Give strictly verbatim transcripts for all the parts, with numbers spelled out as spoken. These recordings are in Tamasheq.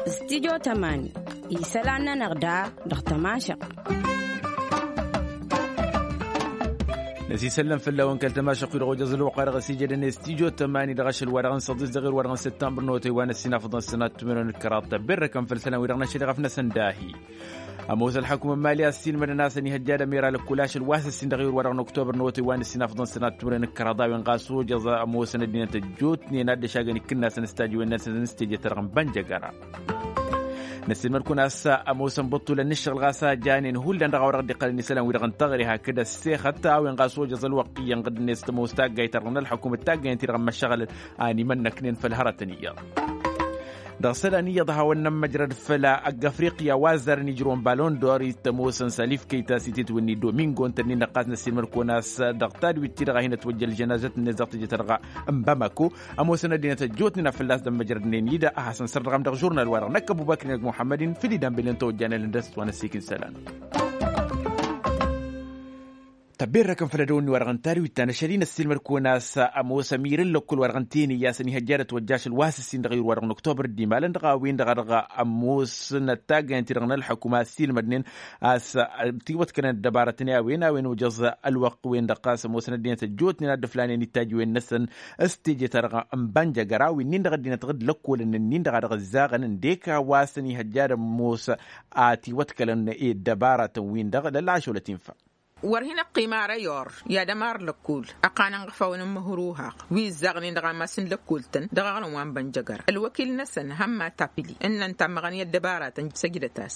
Studio tămani isălan-nănăɣ da dăɣ-tămašăɣt. Năsisăllăm făll-a-wen kăl-tămašăɣt-wi dăɣ-ojăẓ ălwăqq wa dăɣ-s ijădăn i-studio tămani dăɣ-ašăl wa dăɣ-n săḍis dăɣ-ir wa dăɣ-n săttămbăr n-otăy wa n-ăssinafăḍăn sănat timǝrwen d-kăraḍ ta berrăkăn făll-isălan-wi-dăɣ n-ašăl iɣăf-năsăn dahi. Ămoos ălḥăkum n-imali a ăssiilmădăn a-s ăniihăjja d-ămira lăkkul ašăl wa s-ǝssin dăɣ-iwǝr wa dăɣ-năktobăr n-otăy wa n-ǝssin afḍăn sănat timǝrwen d-kăraḍ a-wen ɣas ojăẓ ămoosăn ăddinăt ăjjootnen ad-dd-ăšagăn ikǝnnasăn s-tajǝwen-năsăn s-teje-ta-dăɣ n-bănjăgăra. Năssiilmăd-kăwăn a-s ămoosăn băṭṭulăn n-ǝššăɣǝl ɣas a janen hullan dăɣ-a-wa dăɣ-dd-iqqălăn isălan-wi-dăɣ n-taɣre hakd ăssexăt a-wen ɣas ojăẓ ălwăqq iyyăn ɣǝdd-net tămoos taggayt-ta-dăɣ n-ălḥăkum d-taggayăn-ti-dăɣ n-măššăɣălăn. Animănnăknen făll-hărătăn iyyăḍ. Dăɣ-isălan iyyăḍ a hawăn-nămmăjrăd făll-ăgg afriqya wa ăzzarăn ijrăwăn balon d-or-i t-ămoosăn salif kăytas itetwǝnni domingo ǝntănnin-dăɣ ɣas năssiilmăd-kăwăn a-s dăɣ-tadwit-ti-dăɣ a hin-ătwăjjăl jănazăt-net dăɣ-teje-ta-dăɣ n-bamako. Ămoosăn ăddinăt ăjjootnen a fălla-s dd-ămmăjrădnen-dd a hasăn-sărdăɣăm dăɣ-žurnal-wa-dăɣ năkk ăbubăkri năgg muḥămmăd-in făll-idan belen tăwăjjanălăn dăr-s wa n-ăssiik n-isălan. Tăbberrăkăn făll-edăwănni wa dăɣ-n tadwit ta n-ašăl-i năssiilmăd-kăwăn a-s ămoos ămir n-lăkkul wa dăɣ-n tene i-a-s ăniihăjja d-ătwăjja ašăl wa s-ǝssin dăɣ-iwǝr wa dăɣ-năktobăr d-imalăn dăɣ-a-wen-dăɣ a dăɣ-ămoosnăt taggayăn-ti-dăɣ n-ălḥăkum a ăssiilmădnen a-s tiwătkălăn ăddăbarătăn i-a-wen a-wen ojăẓ ălwăqq-wen-dăɣ ɣas ămoosnăt ăddinăt ăjjootnen ad-dd-ǝflanen ittajǝwen-năsăn s-teje-ta-dăɣ n-bănjăgăra wi-nin-dăɣ ăddinăt ɣǝd lăkkolăn-nin-dăɣ a dăɣ-ǝzzaɣăn ǝndek a-wa s-ăniihăjja d-ămoos a tiwătkălăn i-ăddăbarătăn-win-dăɣ lălăašăwlăt-in fa. Wăr hin-ăqqim ara i-or i-ad-ămar lăkkol ăqqanăn ɣăfawăn n-măhruhăɣ wi ǝzzaɣnen dăɣ-ammas n-lăkkol-tăn dăɣ-aɣrǝm wa n-bănjăgăra ălwăkil-năsăn hămma tapili ǝnnăn tammăɣăn i-ăddăbaratăn săjdăt-as.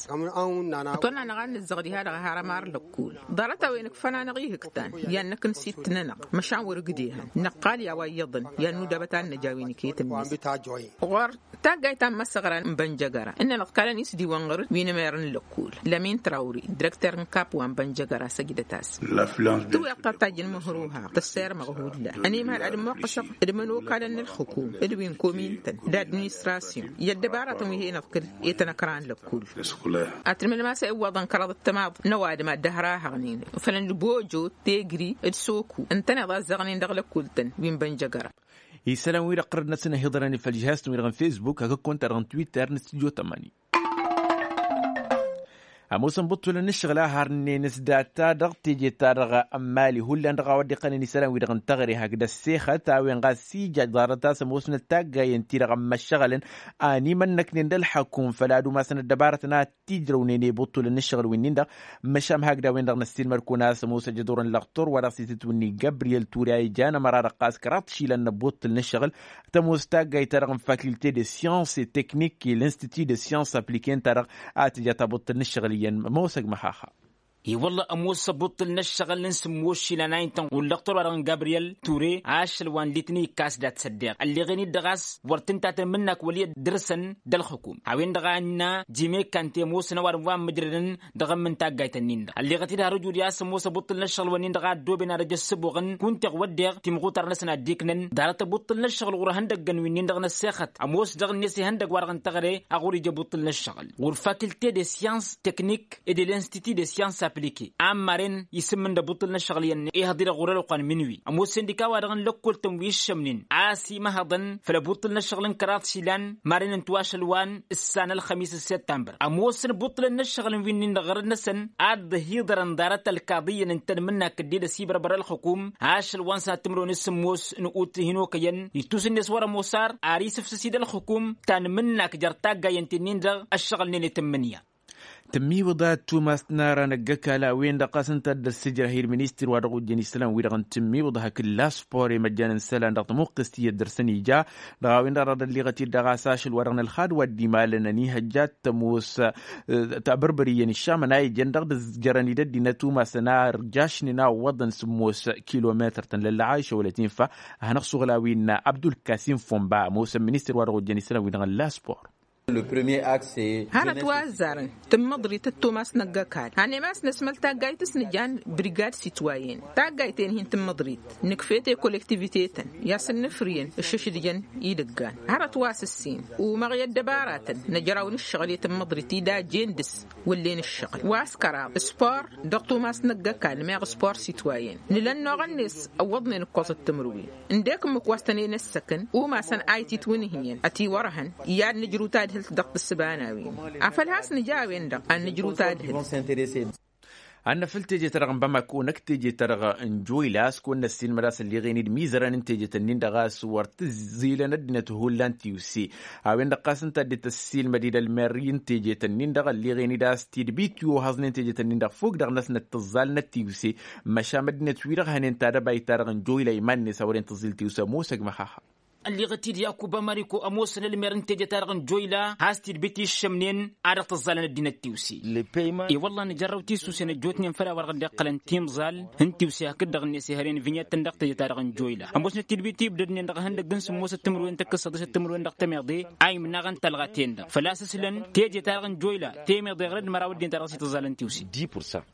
Ătwănna-năɣ ad-nǝzzăɣ diha-dăɣ har ămar lăkkol ḍarăt-a-wen ǝkfăn-anăɣ ihǝktăn i-ad-năknǝsit-nănăɣ măšan wăr ǝgdehăn năqqal i-a-wa iyyăḍăn i-ad-nudabăt ad-năj a-wen iket-net. Ɣur-taggayt ta n-imăsăɣra n-bănjăgăra ǝnnăn ǝḍkalăn isdiwăn ɣur-wi n-emer n-lăkkol lămin trawri direkter n-kap wa n-bănjăgăra săjdăt-as. Tǝwweḍ ta tajjăn măhruha tăssermăɣ hullan ănimhăl ad-ămmuqqăsăɣ d-imănokalăn n-ălxǝkum d-wi n-komin-tăn d-administrasyon i-ăddăbaratăn wi hen-ăḍkăl i-tăn-ăkran lăkkol. Ad-tǝlmǝdăm a-s iwwăḍăn kăraḍăt tămaḍ n-ăwadǝm ad-dd-ăhrahăɣnen fălăn d-bojo tegri d-soku ǝntăneḍ a ǝzzăɣnen dăɣ-lăkkol-tăn wi n-bănjăgăra. Isălan-wi-dăɣ ɣărăd-năsăn ăhiḍărăn făll-žihaz-tăn-wi-dăɣ n-fesbuk hakd-kăwăn-ta-dăɣ n-twitter n-stujo tămani. Ămoosăn bǝṭṭulăn n-ǝššăɣǝl a harnen s-data dăɣ-teje-ta-dăɣ n-mali hullan dăɣ-a-wa dd-iqqănen isălan-wi-dăɣ n-teɣăre hakd ăssexăt a-wen ɣas ija ḍarăt a-s ămoosnăt taggayen-ti-dăɣ ămmăššăɣălăn. Animănnăknen d-ălxăkum făl ad-umasăn ăddăbarătăn ad-t-ijrăwnen i-bǝṭṭulăn n-ǝššăɣǝl wi-nin-dăɣ. Măšan hakd a-wen-dăɣ năssiilmăd-kăwăn a-s ămoos ajăḍur n-lăxtur wa dăɣ-s itǝtwǝnni gabriyel ture a ijan ămăra-dăɣ ɣas kăraḍ išilan n-ăbbuṭṭǝl n-ǝššăɣǝl. Tămoos taggayt-ta-dăɣ n-faculté de science et technique i-l'institut de science appliquée-n-ta-dăɣ a tǝja tabuṭṭǝl n-ǝššăɣǝl iyyăn ămoosăg măxaxa. I-wălla ămoos ăbbuṭṭǝl n-ǝššăɣǝl n-sǝmmos išilan a intăn ɣur-lăxtur wa dăɣ-n gabriyel ture ašăl wa n-litni ikkas dat-săddeɣ ălleɣen-dd ɣas wăr t-ǝntatăn imǝnnak wăl' iyyăt dăr-săn d-ălxǝkum a-wen-dăɣ a ǝnna jime kante ămoosăn ăwadǝm wa ǝmmǝjrădăn dăɣ-ǝmmǝn taggayt-ǝnnin-dăɣ ălleɣăt-dd har ǝjud i-a-s ămoos ăbbuṭṭǝl n-ǝššăɣǝl-wǝnnin-dăɣ a ăddooben ad-ăj ăssǝbuɣăn kunta iɣwăddeɣ timɣutar-năsăn a dd-iknăn ḍarăt ăbbuṭṭǝl n-ǝššăɣǝl ɣur-ihăndăggăn wi-nin-dăɣ n-ăssexăt ămoos dăɣ-net ihăndăgg wa dăɣ-n teɣăre a ɣur-ija ăbbuṭṭǝl n-ǝššăɣǝl ɣur-faculté de science technique et de l'institut de science appliquée a ămmaren isǝmmǝn d-ăbbuṭṭǝl n-ăššăɣǝl iyyăn ihăḍ-i-dăɣ ɣur-ălwăqq wa n-minwi ămoos sindika wa dăɣ-n lăkkol-tăn wi ǝššămnen a-s imăhăḍăn făll-ăbbuṭṭǝl n-ăššăɣǝl n-kăraḍ išilan maren n-tiwašăl wa n-ǝssan ălxămis d-săttămbăr ămoosăn ăbbuṭṭǝlăn n-ǝššăɣǝl n-wi-nin-dăɣ ɣărăt-năsăn ad-dd-ăhiḍărăn ḍarăt ălkaḍiyyăn ǝntăn imǝnnak dd-ila s-ibărbăr ălxǝkum ašăl wa n-sănat timǝrwen s-sǝmmos n-ut hin-okăyăn ittus-net wăr-ămoos ar ar isǝfsǝs-dd ălxǝkum ta n-imǝnnak jer-taggayen ti-nin-dăɣ ăššăɣǝlnen i-tǝmmǝnǝya. Tǝmmiwǝḍa tumast n-ara n-ăgg-ăkall a-wen-dăɣ ɣas ǝnta a dd-ăssǝjrăh i-dd-ministăr wa dăɣ-ojjăn isălan-wi-dăɣ n-tǝmmiwǝḍa hakd laspor i-măjjan n-isălan dăɣ-tămuqqǝst iyyăt dăr-săn ija dăɣ-a-wen-dăɣ dăr-dd-ălliɣăt-dd dăɣ-a-s ašăl wa dăɣ-nălxad wa dd-imalăn ănihăjja d-tămoos. Tabărbăr iyyăn iššamăn a ijăn dăɣ-dd-ǝzjărăn-dd ăddinăt umasăn a ărjašnen a ǝwwăḍăn sǝmmos kilometăr-tăn lălla a išăwălăt infa a hanăɣ-suɣǝl a-wa innă abdulkasim fomba ămoosăn ministăr wa dăɣ-ojjăn isălan-wi-dăɣ n-laspor. Hărăt wa ăzzarăn tǝmmăḍrit d-tumas n-ăgg-ăkall. Hănem a-s năsmăl taggayt s-nǝjan brigad sitwayen taggayt-en-hin tǝmmăḍrit. Nǝkf'-e t-e-kollektivite-tăn i-ad-sǝnnǝfrǝyăn ǝššǝšdǝjăn idǝggan. Hărăt wa s-ǝssin umăɣ i-ăddăbaratăn năjraw n-ǝššăɣǝl i-tǝmmăḍrit-i d-ajjen dăr-s wăllen ǝššăɣǝl wa s-kăraḍ spor. Dăɣ-tumas n-ăgg-ăkall meɣ spor sitwayen nǝla ănnuɣ-net ăwwăḍnen ǝkkoẓăt timǝrwen. Ǝndek ǝmmǝk wa s-tăn-en-ăssăkăn umasăn a ititwǝnhǝyăn ătiwărhăn i-ad-nǝjrǝw tadhǝlt dăɣ-tǝssǝba n-a-wen. Afăl has-nǝja a-wen-dăɣ ad-nǝjrǝw tadhǝlt. Ad-năfǝl teje-ta-dăɣ n-bamako năkk teje-ta-dăɣ n-joyla a-s kăwăn-năssiilmăd a-s ălleɣen-dd imizărăn n-tejet-ǝnnin-dăɣ a-s wăr t-ǝzzilăn ăddinăt hullan tiwse. A-wen-dăɣ ɣas ǝnta a dd-tăssiilmăd-dd ălmer n-tejet-ǝnnin-dăɣ ălleɣen-dd a-s tidbit i-ohăẓnen tejet-ǝnnin-dăɣ fok dăɣ-năsnăt tǝẓẓalnăt tiwse. Măšan ăddinăt-wi-dăɣ hănen tadăbayt-ta-dăɣ n-joyla iman-net a wărăn tǝẓẓil tiwse ămoos ăgg-măxaxa. Ălleɣăt-dd yakuba mariko ămoosăn ălmer n-teje-ta-dăɣ n-joyla has-tidbit iššămnen a dăɣ-tǝẓẓalăn ăddinăt tiwse. I-wălla nǝjărrăw tisusen ăjjootnen făll-a-wa-dăɣ dd-iqqălăn timẓal n-tiwse hakd-dăɣ-net ihăren vinyăttăn dăɣ-teje-ta-dăɣ n-joyla ămoosnăt tidbit ibdădnen dăɣ-ihăndăgg n-sǝmmosăt timǝrwen tăkk-s săḍisăt timǝrwen dăɣ-temeḍe a imnaɣăn talɣa-ten-dăɣ făl-a-s ǝslăn teje-ta-dăɣ n-joyla temeḍe ɣărăd măraw ăddinăt ta dăɣ-s itǝẓẓalăn tiwse.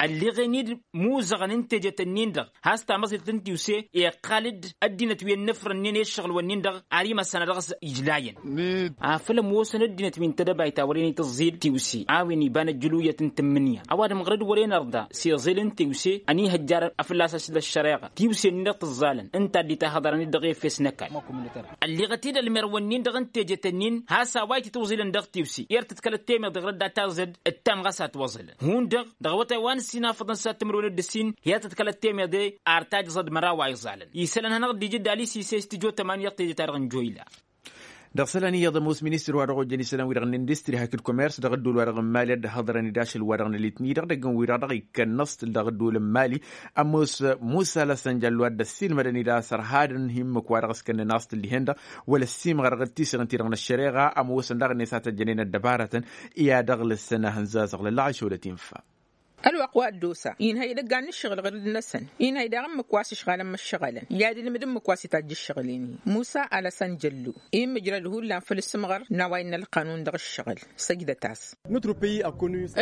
Ălleɣen-dd muzăɣăn n-tejet-ǝnnin-dăɣ has-tamăẓilt n-tiwse iqqal-dd ăddinăt wi ănnăfrănnen i-ǝššăɣǝl-wǝnnin-dăɣ ar imăssan a dăɣ-s ijlayăn. Afăl ămoosăn ăddinăt wi n-tedăbayt a wăren itǝẓẓil tiwse a-wen iba n-ăjjǝluyăt n-tǝmmǝnǝya ăwadǝm ɣărăd wăren ărḍa s-iẓil n-tiwse ănihăjjar afǝllas ašăl ăššăreɣa tiwse-nin-dăɣ tǝẓẓalăn ǝnta dd-tahăḍărăn-dd dăɣ-efes n-ăkall. Ălleɣăt-dd ălmer-wǝnnin-dăɣ n-tejet-ǝnnin has-a-wa ititwǝẓilăn dăɣ-tiwse i-ad-tǝḍkălăt temeḍe ɣărăt dat-aẓăd ǝttam ɣas a ătwăẓǝlăn hundăɣ dăɣ-awătay wa n-ǝssin afăḍăn s-ad-timǝrwen d-ǝssin hi-ad-tǝḍkălăt temeḍe ar tajẓăd măraw a iẓalăn isălan hanăɣ-dd-ija d-ali s-ises tǝjo tămani dăɣ-teje-ta-dăɣ n-joyla. Dăɣ-isălan iyyăḍ ămoos ministăr wa dăɣ-ojăn isălan-wi-dăɣ n-industri hakd commerce dăɣ-ăddol wa dăɣ-n mali ad-dd-hăḍrăn-dd ašăl wa dăɣ-n ălitni-dăɣ dăgg-n wi-dăɣ dăɣ-ikkăn n-aẓt dăɣ-ăddol n-mali. Ămoos musa lăsănjăl wa dd-ăssiilmădăn-dd a-s ărhadăn hi-ǝmmǝk wa dăɣ-s kănnăn aẓt ǝllihen-dăɣ wăla ăssiimɣăr dăɣ-tisăɣ ǝnta-dăɣ n-ăššăreɣa ămoosăn daɣ-net a tăjjănen ăddăbarătăn i-ad-ăɣlǝsăn ahǝnza a-s ăɣlălăɣ ašăwălăt infa. Ălwăqq wa dd-osa inhăy idăggan n-ǝššăɣǝl ɣǝrǝd-năsăn inhăy daɣ ǝmmǝk wa s-ǝšɣalăn măššăɣălăn i-ad-ǝlmǝd ǝmmǝk wa s-itajj ǝššăɣǝl-in-hi musa alăsăn jăllu immǝjrăd hullan făll-asǝmɣăr n-a-wa innă ălqanun dăɣ-ǝššăɣǝl. Săjdăt-as.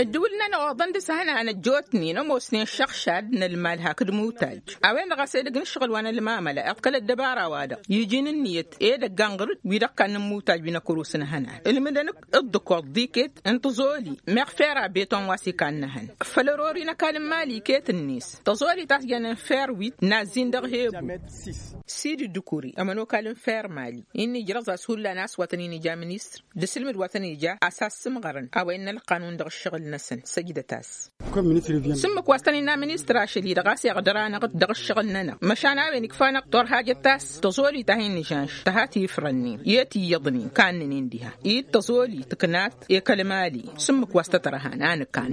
Ăddǝwǝl-nănăɣ oḍăn dăɣ-s hănan ăjjootnen ămoosnen šăɣšad n-ălmal hakd mutaj a-wen-dăɣ a-s edăgg n-ǝššăɣǝl wa n-ălmamăla iḍkăl ăddăbara-wa-dăɣ iji n-ǝnniyăt edăgg anɣǝrǝd wi-dăɣ kannăn mutaj wi n-ăkrus n-hănan ǝlmǝdăn-ǝkk ǝḍḍǝkoḍ d-iket n-tăẓoli meɣ fera beton wa s-ikannăhăn făll-ărori n-ăkall n-mali iket-net tăẓoli ta s-jănen fer wit n-azzin dăɣ-hebu. Sidi dukuri ămănokal n-fer mali-i n-ijrăẓ a-s hullan a-s wa tăn-in-ija ministăr d-asǝlmǝd wa tăn-ija a-s assǝmɣărăn a-wa innă ălqanun dăɣ-ǝššăɣǝl-năsăn săjdăt-as. S-ǝmmǝk wa s-tăn-innă ministăr ašăl-i-dăɣ a-s iɣdăr-anăɣ-dd dăɣ-ǝššăɣǝl-nănăɣ măšan a-wen ikf'-anăɣ turhajăt ta s-tăẓoli ta hin-nǝžanš tăha tifrăn-in i-tiyyăḍ-nin kannăn-in diha-i d-tăẓoli tǝknat i-kăl-mali. S-ǝmmǝk wa s-tăt-ărhan a nǝkan.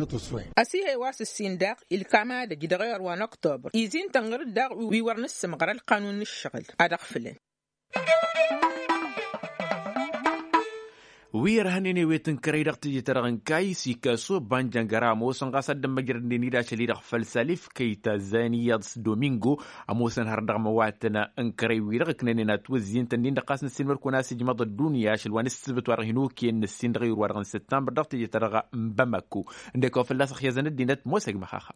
Ăsihăy wa s-ǝssin daɣ ilkam ad-ăj dăɣ-iɣăr wa n-oktobăr izi n-tănɣăr-dd daɣ wi wăr nǝssǝmɣăr ălqanun n-ǝššăɣǝl ad-ăɣfǝlăn. Wi ărhănen ewet n-kărăy dăɣ-teje-ta-dăɣ n-kayy s-ikaso banjăngăra ămoosăn ɣas ad-dd-ămmăjrădnen-dd ašăl-i-dăɣ făll-salif kăyta zayăn iyyăḍ s-domingo. Ămoosăn har dăɣ-măwatăn n-kărăy-wi-dăɣ ǝknănen atwăzzin-tăn-in-dăɣ ɣas năssiilmăd-kăwăn a-s ijmăḍ ăddunya ašăl wa n-ǝssǝbǝt wa dăɣ-hin-okăyăn năssin dăɣ-iwǝr wa dăɣ-n săttămbăr dăɣ-teje-ta-dăɣ n-bamako. Ǝndek wa fălla-s ăxyazăn ăddinăt ămoos-ăgg-măxaxa.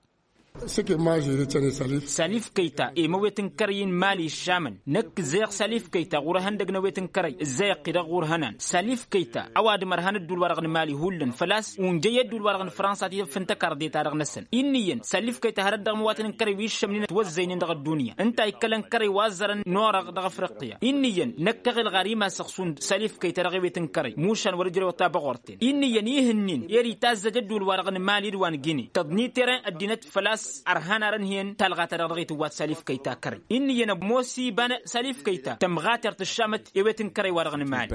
Salif kăyta i-măwet n-kărăy n-imali ǝššamăn năkk ǝzzăyăɣ salif kăyta ɣur-ehăndăg n-ewet n-kărăy ǝzzăyăɣ-t-i-dăɣ ɣur-ehănan salif kăyta ăwadǝm ărhan ădduul-wa-dăɣ n-imali hullan făl-a-s unjăy i-ădduul-wa-dăɣ n-fransa ti-dăɣ fǝntăkarḍe-ta-dăɣ-năsăn. Innă iyyăn salif kăyta hărăt dăɣ-măwatăn n-kărăy wi ǝššămnen ătwăzzăynen dăɣ-ăddunya ǝnta a ikkălăn kărăy wa ăzzărăn n-orăɣ dăɣ-afriqya. Innă iyyăn năkk aɣǝlɣar imasăɣ šund salif kăyta dăɣ-ewet n-kărăy mušan wăr-ǝjrăwăt tabăɣort. Innă iyyăn ih' ǝnnin i-dd-itazzăj ădduul-wa-dăɣ n-imali d-wa n-gine tăḍni teren ăddinăt făl-a-s ărhan arănhăyăn talɣa-ta-dăɣ dăɣ-itǝwwat salif kăyta kărăy. Innă iyyăn ămoos iba n-salif kăyta tămɣatert ǝššamăt ewet n-kărăy-wa-dăɣ n-imali.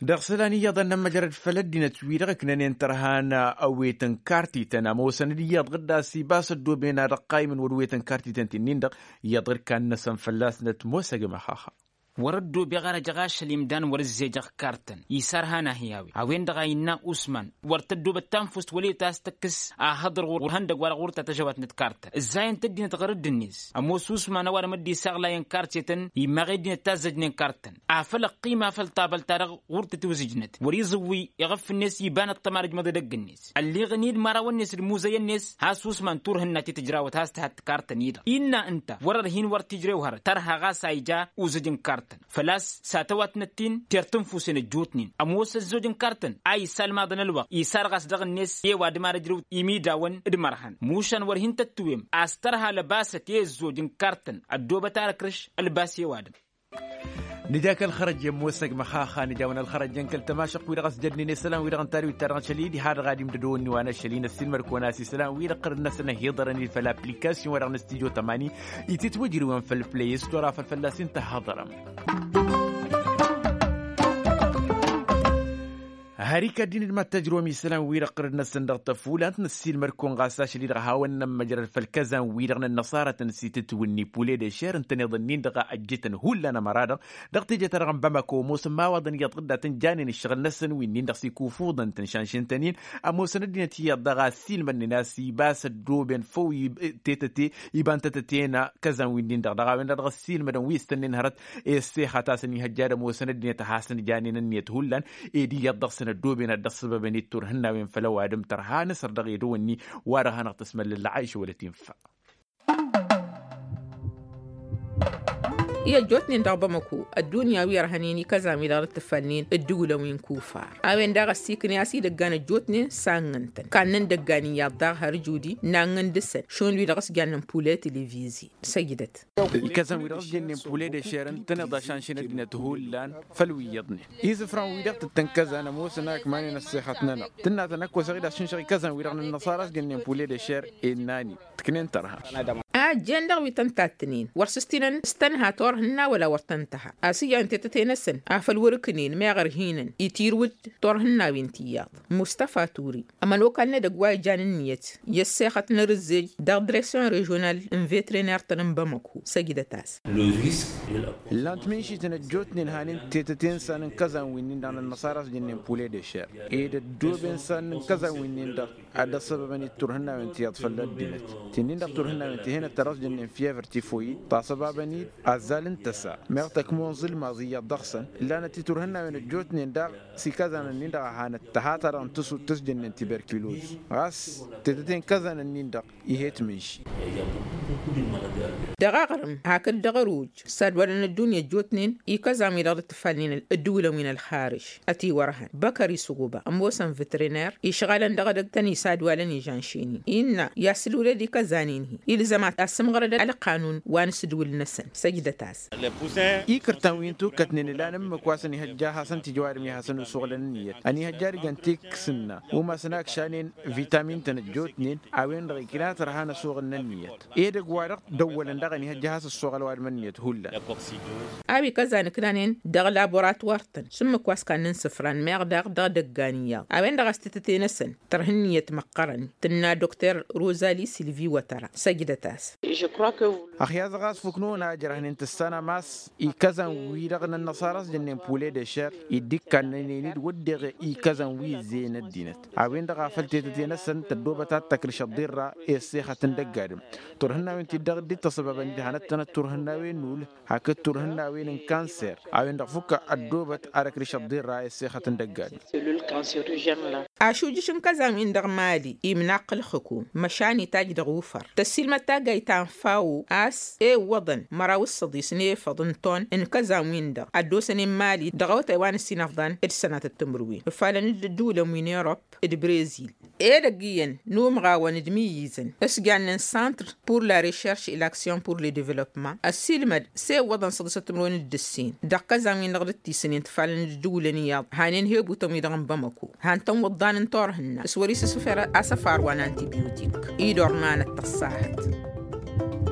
Dăɣ-isălan iyyăḍăn n-ămmăjrăd făll-ăddinăt-wi-dăɣ ǝknănen tărhan ăwet n-kartităn ămoosăn-dd iyyăḍ ɣǝdda s-ibas ăddooben ad-ăqqaymǝn wăr-ewet n-kartităn ti-nin-dăɣ. Iyyăḍ ɣǝd kannăsăn fălla-snăt ămoos ăgg-măxaxa. Wăr-ăddoobeɣ ar ăjăɣ ašăl imdan wăr-ǝzzejăɣ kartăn isarhan ahi a-wen-dăɣ a innă usman wăr tăddoobăt tanfust wăla i-ta s-tăkkǝs ahăḍăr ɣur-ihăndăgg-wa-dăɣ ɣur-ta tăžăwatnăt kartăn ǝzzayăn-t ăddinăt ɣur-dd-net. Ămoos usman ăwadǝm dd-isaɣlayăn kartetăn immaɣ i-ăddinăt ta ǝzzăjnen kartăn afăl ăqqima făll-tabălt-ta-dăɣ ɣur-tăt-iwzǝjnăt wăr-iẓǝwwi iɣǝf-net iba n-ăṭṭăma d-ǝjmăḍ edăgg-net ălleɣăn-dd imărawăn-net d-imuzăyăn-net. Has-usman turhǝnna ti tǝjrawăt has-tǝhat kartăn-i-dăɣ innă ǝnta wăr-ărhin wăr t-ijrew hărăt tărha ɣas a ija uzǝj n-kartăn făl-a-s s-atăwatnăt-in. Ter tǝnfusen ăjjootnen ămoos ăzzoj n-kartăn a isalmaḍăn ălwăqq isarɣas dăɣ-net i-ăwadǝm ar ǝjrǝw imidawăn d-imărhăn mušan wăr hin-tăttǝwem a-s tărha lăbasăt i-ăzzoj n-kartăn ăddoobăt ar ăkrǝš ălbas i-ăwadǝm. Nǝja kăl-xărăjjen ămoos ăgg măxaxa nǝjawăn ălxărăjjen kăl-tămašăqq-wi-dăɣ ăsjădnen i-isălan wi-dăɣ ǝnta d-wi ta dăɣ-năšăl-i diha-dăɣ ad-imdădăwăn n-iwa n-ašăl-i n-ăssiilmăd-kăwăn a-s isălan-wi-dăɣ qărǝd-năsăn ăhiḍărăn-dd făll-application-wa-dăɣ n-studio tămani ititwǝjrǝwăn făll-play store afăl fălla-s intăhhăḍărăm. Har ikad-in d-mad-tăjrǝwăm isălan-wi-dăɣ qărǝd-năsăn dăɣ-tăfulant n-ăssiilmăd-kăwăn ɣas ašăl-i-dăɣ a hawăn-nămmăjrăd făll-kăzan-wi-dăɣ n-ănnăṣarătăn s-itǝtwǝnni pule d-ešer ǝntăneḍ-ǝnnin-dăɣ a ăjjǝtăn hullan ămăra-dăɣ dăɣ-teje-ta-dăɣ n-bamako ămoosăn imawaḍăn iyyăḍ ɣǝddatăn janen ǝššăɣǝl-năsăn wi-nin-dăɣ s-ikufǝḍăn-tăn šanšǝn-tăn-in. Ămoosăn ăddinăt iyyăḍ daɣ a ăssiilmădnen a-s iba s-ăddooben făw tetăte iba n-tetăte n-kăzan wi-nin-dăɣ dăɣ-a-wen-dăɣ dăɣ-ăssiilmădăn wi s-tănnen hărăt i-ăssexăt a-s ănihăjja ad-ămoosăn ăddinăt a hasăn-janen ǝnniyăt hullan. Ed iyyăḍ dăɣ-săn ăddooben ad-dd-ăṣṣăbăbăn i-turhǝnnawen făll-ăwadǝm tărha nǝsăr dăɣ-edăwănni wa dăɣ-hanăɣ-tăsmăllălla aiša wăla tinfa. I-ăjjootnen dăɣ-bamăko ăddunya wi ărhănen i-kăzan-wi-dăɣ d-dd-tǝfalnen ǝddǝwǝlăn wi n-kufar a-wen daɣ ăssiikǝne a-s idăggan ăjjootnen s-annăn-tăn kannăn idăggan iyyăḍ daɣ har ǝjudi n-annăn dăɣ-săn šund wi-dăɣ s-jannen pule televizyi. Săjdăt. Ikăzăn-wi-dăɣ s-jănnen pule d-ešer ǝntăneḍ ašanšin ăddinăt hullan făll-wi iyyăḍnen izǝfran-wi-dăɣ tǝttăn kăzan ămoosăn a ǝkmanen ăssexăt-nănăɣ tǝnna tăn-ăkk osăɣ-dd ad-šǝnšăɣ ikăzăn-wi-dăɣ n-ănnăṣara s-jănnen pule d-ešer. Innă-ni tǝknen tărha. A ăjjeen dăɣ-wi tăn-tattǝnen wăr s-ǝstinăn s-tănha turhǝnna wăla wăr tăn-tǝha a-s ǝjrăn tetăte-năsăn afăl wăr-ǝknen meɣ ărhinăn itirǝw-dd turhǝnnawen tiyyăḍ. Mustăfa turi ămănokal n-edăgg wa ijan ǝnniyăt i-ăssexăt n-arǝzzej dăɣ-dresion režional n-vetriner-tăn n-bamăko săjdăt-as. Ǝllan-t mǝnšităn ăjjootnen hanen tetăte n-isan n-kăzan wi-nin-dăɣ n-ănnăṣara a-s jănnen pule d-ešer ed ăddooben isan n-kăzan wi-nin-dăɣ ad-dd-ăṣṣăbăbăn-dd turhǝnnawen tiyyăḍ făll-ăddinăt. Ti-nin-dăɣ turhǝnnawen ti henăt ta dăɣ-s jănnen fievăr tifoyid taṣăbabăn-dd azzal n-tăsa meɣ tăkmunẓǝl maẓ iyyăḍ dăɣ-săn ǝllanăt-i turhǝnnawen ăjjootnen daɣ s-ikăzanăn-in-dăɣ a hanăt tăha-ta-dăɣ n-tǝsut tăs-jănnen tiberkiloz ɣas tetăte n-kăzanăn-in-dăɣ. Ih'-e tǝmǝnši. Dăɣ-aɣrǝm hakd dăɣ-ăruj s-ad-walăn ăddunya ăjjootnen ikăzan-wi-dăɣ dd-tǝfalnen ăddǝwǝlăn wi n-ălxarǝž ătiwărhăn băkări s-uɣuba ămoosăn vetriner išɣalăn dăɣ-edăgg tăn-isa ad-walăn ižanšen-in innă i-asǝlwǝlăd ikăzan-in-hi ilzăm ad-sǝmɣărăd ălqanun wa n-asǝdwǝl-năsăn. Săjdăt-as. Ikǝrtan wi n-tukkătnen ǝlan ǝmmǝk wa s-ănihăjja a hasăn-t-ija ăwadǝm i-ad-hasăn-usɣǝlăn ǝnniyăt ănihăjja ad-ǝjăn tiksǝnna umasăn a ǝkšanen vitamin-tăn ăjjootnen a-wen-dăɣ ikna tărha n-asuɣǝl n-ǝnniyăt edăgg-wa-dăɣ dăwwălăn daɣ ănihăjja a has-ǝssoɣăl ăwadǝm ǝnniyăt hullan. A-wi kăzan ǝknanen dăɣ-laboratuwar-tăn s-ǝmmǝk wa s-kannăn isǝfran meɣ daɣ dăɣ-idăggan iyyăḍ a-wen-dăɣ a-s tetăte-năsăn tărha ǝnniyăt măqqărăn tǝnna dokter rozali silvi wătăra. Săjdăt-as. Ăxyazăɣ a-s fuknăwăn a ǝjrăhnen tǝssanăm a-s ikăzan-wi-dăɣ n-ănnăṣara a-s jănnen pule d-ešer dd-ikkannănen-dd wădden ikăzan wi ǝzzeyăn ăddinăt a-wen-dăɣ a făl tetăte-năsăn tăddoobăt ad-tăkrǝš ăḍḍirra i-ăssexăt n-dăgg-adǝm. Turhǝnnawen-ti-dăɣ dd-tăṣăbabăn-dd hanăt-tănăt turhǝnnawen n-ul hakd turhǝnnawen n-kanser a-wen-dăɣ fukk ăddoobăt ad-ăkrǝš ăḍḍirra i-ăssexăt n-dăgg-adǝm. Ašujǝš n-kăzan-win-dăɣ mali imnaqq ǝlxǝkum măšan itaj dăɣ-ufăr tăssiilmăd taggayt ta n-fawo a-s ewwăḍăn măraw d-săḍis n-efăḍ n-ton n-kăzan-win-dăɣ ad-dd-osănen mali dăɣ-awătay wa n-ǝssin afḍan d-sănatăt timǝrwen ǝfalăn-dd ǝddǝwǝlăn wi n-erop d-brezil. Edăgg iyyăn n-umɣawăn d-imǝyyǝzăn s-jannen centre pour la recherche et l'action pour le développement ăssiilmăd s-ewwăḍăn săḍisăt timǝrwen d-ǝssin dăɣ-kăzan-win-dăɣ dd-tisǝnen tǝfalăn d-ǝddǝwǝlăn iyyăḍ hanen hebutăn-wi-dăɣ n-bamăko han tăn-wǝḍḍan n-turhǝnna s-wăr-isǝsǝfer asăfar wa n-antibiotik. Idor n-anăt tăṣṣahăt.